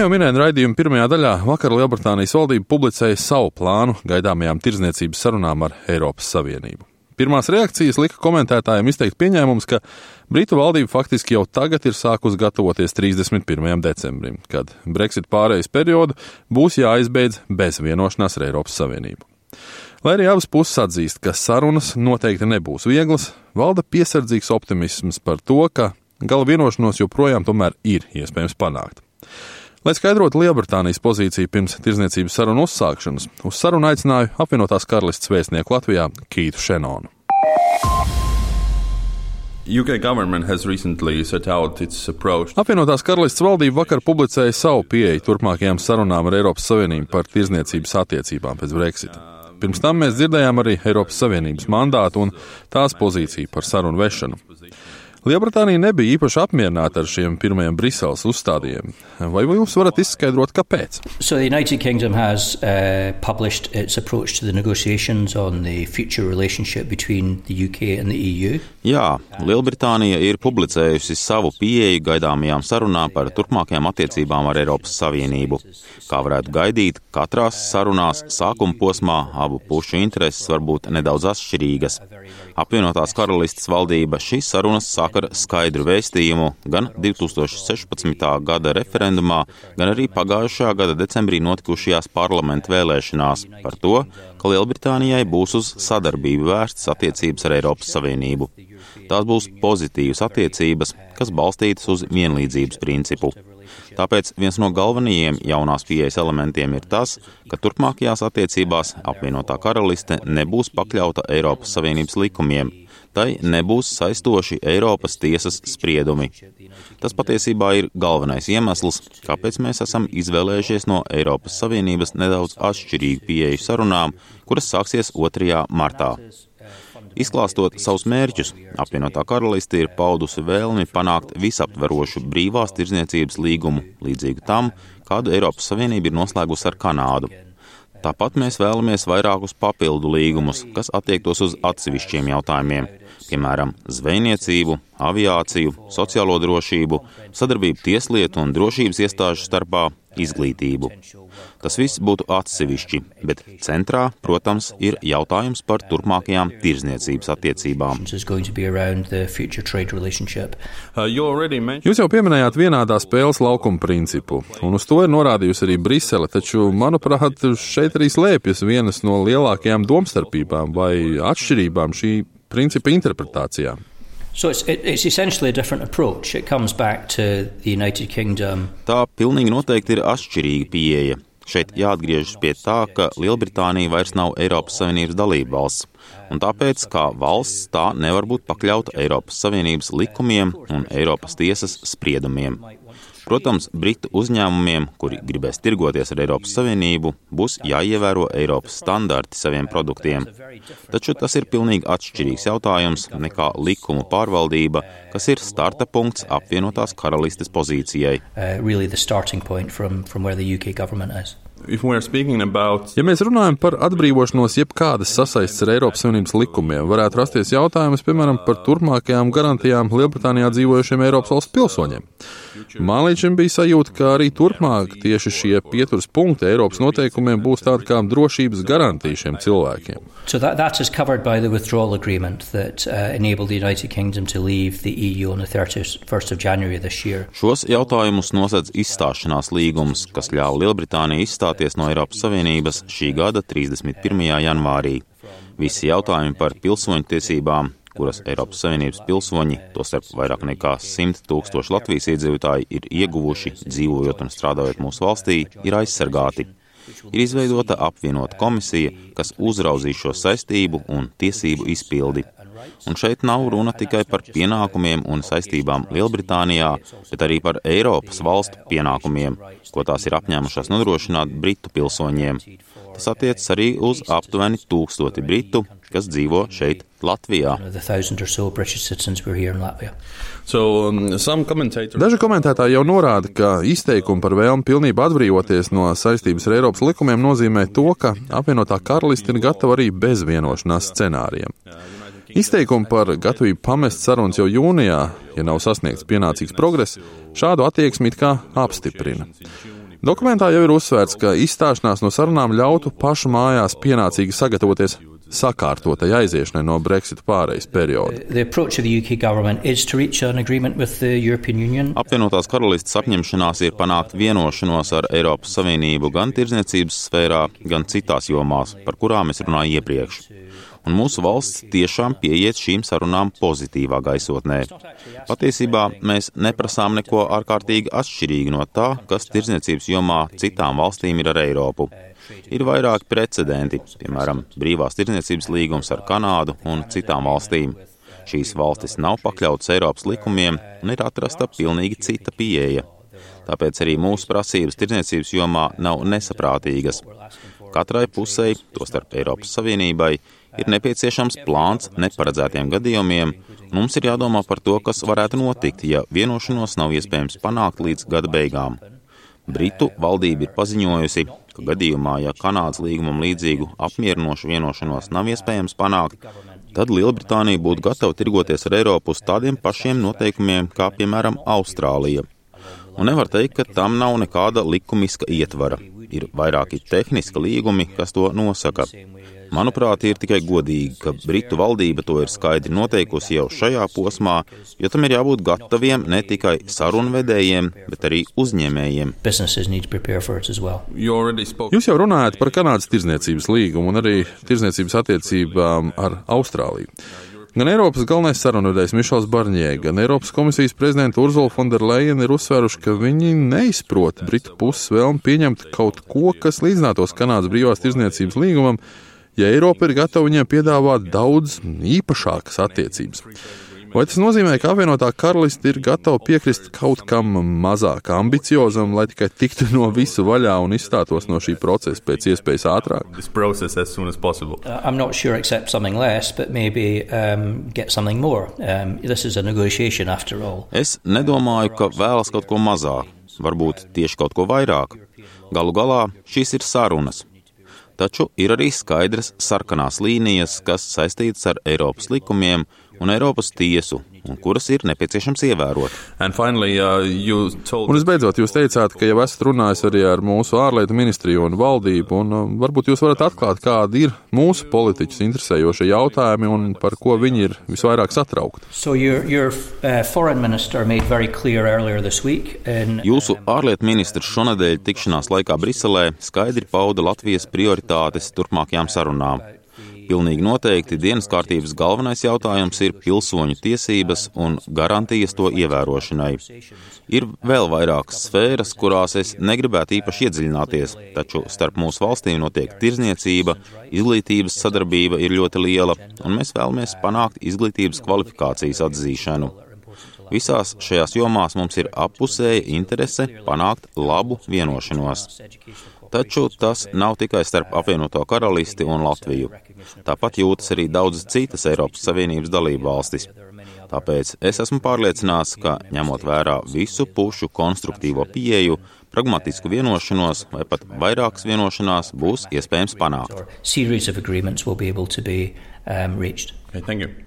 jau minēju raidījuma pirmajā daļā, vakar Lielbritānijas valdība publicēja savu plānu gaidāmajām tirdzniecības sarunām ar Eiropas Savienību. Pirmās reakcijas lika komentētājiem izteikt pieņēmums, ka Britu valdība faktiski jau tagad ir sākus gatavoties 31. decembrim, kad Brexit pārejas periodu būs jāizbeidz bez vienošanās ar Eiropas Savienību. Lai arī abas puses atzīst, ka sarunas noteikti nebūs vieglas, valda piesardzīgs optimisms par to, ka gala vienošanos joprojām tomēr ir iespējams panākt. Lai skaidrotu Lielbritānijas pozīciju pirms tirdzniecības sarunu uzsākšanas, uz sarunu aicināju apvienotās karalistes vēstnieku Latvijā Keithu Shannonu. Apvienotās karalistes valdība vakar publicēja savu pieeju turpmākajām sarunām ar Eiropas Savienību par tirdzniecības attiecībām pēc Brexita. Pirms tam mēs dzirdējām arī Eiropas Savienības mandātu un tās pozīciju par sarunu vešanu. Lielbritānija nebija īpaši apmierināta ar šiem pirmajiem Briseles uzstādījumiem. Vai jūs varat izskaidrot, kāpēc? So the United Kingdom has published its approach to the negotiations on the future relationship between the UK and the EU. Jā, Lielbritānija ir publicējusi savu pieeju gaidāmajām sarunām par turpmākajām attiecībām ar Eiropas Savienību. Kā varētu gaidīt, katrās sarunās sākuma posmā abu pušu intereses var būt nedaudz atšķirīgas. Apvienotās karalistes valdība šīs sarunas sāk ar skaidru vēstījumu gan 2016. gada referendumā, gan arī pagājušā gada decembrī notikušajās parlamenta vēlēšanās par to, ka Lielbritānijai būs uz sadarbību vērstas attiecības ar Eiropas Savienību. Tās būs pozitīvas attiecības, kas balstītas uz vienlīdzības principu. Tāpēc viens no galvenajiem jaunās pieejas elementiem ir tas, ka turpmākajās attiecībās apvienotā karaliste nebūs pakļauta Eiropas Savienības likumiem. Tai nebūs saistoši Eiropas tiesas spriedumi. Tas patiesībā ir galvenais iemesls, kāpēc mēs esam izvēlējušies no Eiropas Savienības nedaudz atšķirīgu pieeju sarunām, kuras sāksies 2. martā. Izklāstot savus mērķus, apvienotā karaliste ir paudusi vēlmi panākt visaptverošu brīvās tirdzniecības līgumu, līdzīgu tam, kādu Eiropas Savienība ir noslēgusi ar Kanādu. Tāpat mēs vēlamies vairākus papildu līgumus, kas attiektos uz atsevišķiem jautājumiem, piemēram, zvejniecību, aviāciju, sociālo drošību, sadarbību tieslietu un drošības iestāžu starpā, izglītību. Tas viss būtu atsevišķi, bet centrā, protams, ir jautājums par turpmākajām tirdzniecības attiecībām. Jūs jau pieminējāt vienādā spēles laukuma principu, un uz to ir norādījusi arī Brisele, taču, manuprāt, šeit arī slēpjas vienas no lielākajām domstarpībām vai atšķirībām šī principa interpretācijā. So it's essentially a different approach. It comes back to the United Kingdom. Tā pilnīgi noteikti ir atšķirīga pieeja. Šeit jāatgriežas pie tā, ka Lielbritānija vairs nav Eiropas Savienības dalība valsts, un tāpēc, kā valsts, tā nevar būt pakļauta Eiropas Savienības likumiem un Eiropas tiesas spriedumiem. Protams, Britu uzņēmumiem, kuri gribēs tirgoties ar Eiropas Savienību, būs jāievēro Eiropas standarti saviem produktiem. Taču tas ir pilnīgi atšķirīgs jautājums nekā likumu pārvaldība, kas ir starta punkts apvienotās karalistes pozīcijai. Ja mēs runājam par atbrīvošanos jebkādas sasaistes ar Eiropas Savienības likumiem, varētu rasties jautājums, piemēram, par turpmākajām garantijām Lielbritānijā dzīvojušiem Eiropas valsts pilsoņiem. Man līdz šim bija sajūta, ka arī turpmāk tieši šie pieturas punkti Eiropas noteikumiem būs tāda kā drošības garantija šiem cilvēkiem. So that is covered by the withdrawal agreement that enabled the United Kingdom to leave the EU on the 31st of January this year. Šos jautājumus nosedz izstāšanās līgums, kas ļāva Lielbritānijai izstāties no Eiropas Savienības šī gada 31. janvārī. Visi jautājumi par pilsoņu tiesībām, kuras Eiropas Savienības pilsoņi, tostarp vairāk nekā 100 000 Latvijas iedzīvotāji, ir ieguvuši, dzīvojot un strādājot mūsu valstī, ir aizsargāti. Ir izveidota apvienota komisija, kas uzraudzīs šo saistību un tiesību izpildi. Un šeit nav runa tikai par pienākumiem un saistībām Lielbritānijā, bet arī par Eiropas valstu pienākumiem, ko tās ir apņēmušās nodrošināt Britu pilsoņiem. Tas attiecas arī uz aptuveni 1000 Britu, kas dzīvo šeit Latvijā. Daži komentētāji jau norāda, ka izteikumi par vēlmi pilnībā atbrīvoties no saistības ar Eiropas likumiem nozīmē to, ka apvienotā karaliste ir gatava arī bez vienošanās scenārijiem. Izteikumi par gatavību pamest sarunas jau jūnijā, ja nav sasniegts pienācīgs progress, šādu attieksmi it kā apstiprina. Dokumentā jau ir uzsvērts, ka izstāšanās no sarunām ļautu pašu mājās pienācīgi sagatavoties sakārtotai aiziešanai no Brexit pārejas perioda. Apvienotās karalistes apņemšanās ir panākt vienošanos ar Eiropas Savienību gan tirdzniecības sfērā, gan citās jomās, par kurām es runāju iepriekš. Un mūsu valsts tiešām pieiet šīm sarunām pozitīvā gaisotnē. Patiesībā mēs neprasām neko ārkārtīgi atšķirīgi no tā, kas tirdzniecības jomā citām valstīm ir ar Eiropu. Ir vairāki precedenti, piemēram, brīvās tirdzniecības līgums ar Kanādu un citām valstīm. Šīs valstis nav pakļautas Eiropas likumiem un ir atrasta pilnīgi cita pieeja. Tāpēc arī mūsu prasības tirdzniecības jomā nav nesaprātīgas. Katrai pusei, tostarp Eiropas Savienībai, ir nepieciešams plāns neparedzētiem gadījumiem, un mums ir jādomā par to, kas varētu notikt, ja vienošanos nav iespējams panākt līdz gada beigām. Britu valdība ir paziņojusi, ka gadījumā, ja Kanādas līgumam līdzīgu apmierinošu vienošanos nav iespējams panākt, tad Lielbritānija būtu gatava tirgoties ar Eiropu uz tādiem pašiem noteikumiem, kā piemēram Austrālija. Un nevar teikt, ka tam nav nekāda likumiska ietvara. Ir vairāki tehniski līgumi, kas to nosaka. Manuprāt, ir tikai godīgi, ka Britu valdība to ir skaidri noteikusi jau šajā posmā, jo tam ir jābūt gataviem ne tikai sarunvedējiem, bet arī uzņēmējiem. Jūs jau runājat par Kanādas tirdzniecības līgumu un arī tirdzniecības attiecībām ar Austrāliju. Gan Eiropas galvenais sarunvedējs Mišels Barņē, gan Eiropas komisijas prezidenta Urzula Fonderlejen ir uzsvēruši, ka viņi neizprot Britu puses vēlmi pieņemt kaut ko, kas līdzinātos Kanādas brīvās tirdzniecības līgumam, ja Eiropa ir gatava viņiem piedāvāt daudz īpašākas attiecības. Vai tas nozīmē, ka apvienotā karaliste ir gatava piekrist kaut kam mazāk ambiciozam, lai tikai tiktu no visu vaļā un izstātos no šī procesa pēc iespējas ātrāk? I'm not sure accept something less, but maybe get something more. This is a negotiation after all. Es nedomāju, ka vēlas kaut ko mazāk, varbūt tieši kaut ko vairāk. Galu galā šīs ir sarunas. Taču ir arī skaidras sarkanās līnijas, kas saistītas ar Eiropas likumiem un Eiropas tiesu, un kuras ir nepieciešams ievērot. Un visbeidzot, jūs teicāt, ka jau esat runājis arī ar mūsu ārlietu ministriju un valdību, un varbūt jūs varat atklāt, kādi ir mūsu politiķus interesējošie jautājumi un par ko viņi ir visvairāk satraukti. Jūsu ārlietu ministrs šonadēļ tikšanās laikā Briselē skaidri pauda Latvijas prioritātes turpmākajām sarunām. Pilnīgi noteikti dienas kārtības galvenais jautājums ir pilsoņu tiesības un garantijas to ievērošanai. Ir vēl vairākas sfēras, kurās es negribētu īpaši iedziļināties, taču starp mūsu valstīm notiek tirdzniecība, izglītības sadarbība ir ļoti liela, un mēs vēlamies panākt izglītības kvalifikācijas atzīšanu. Visās šajās jomās mums ir appusēja interese panākt labu vienošanos. Taču tas nav tikai starp apvienoto karalisti un Latviju. Tāpat jūtas arī daudzas citas Eiropas Savienības dalību valstis. Tāpēc es esmu pārliecināts, ka ņemot vērā visu pušu konstruktīvo pieeju, pragmatisku vienošanos vai pat vairākas vienošanās būs iespējams panākt. Series of agreements will be able to be reached. Okay, thank you.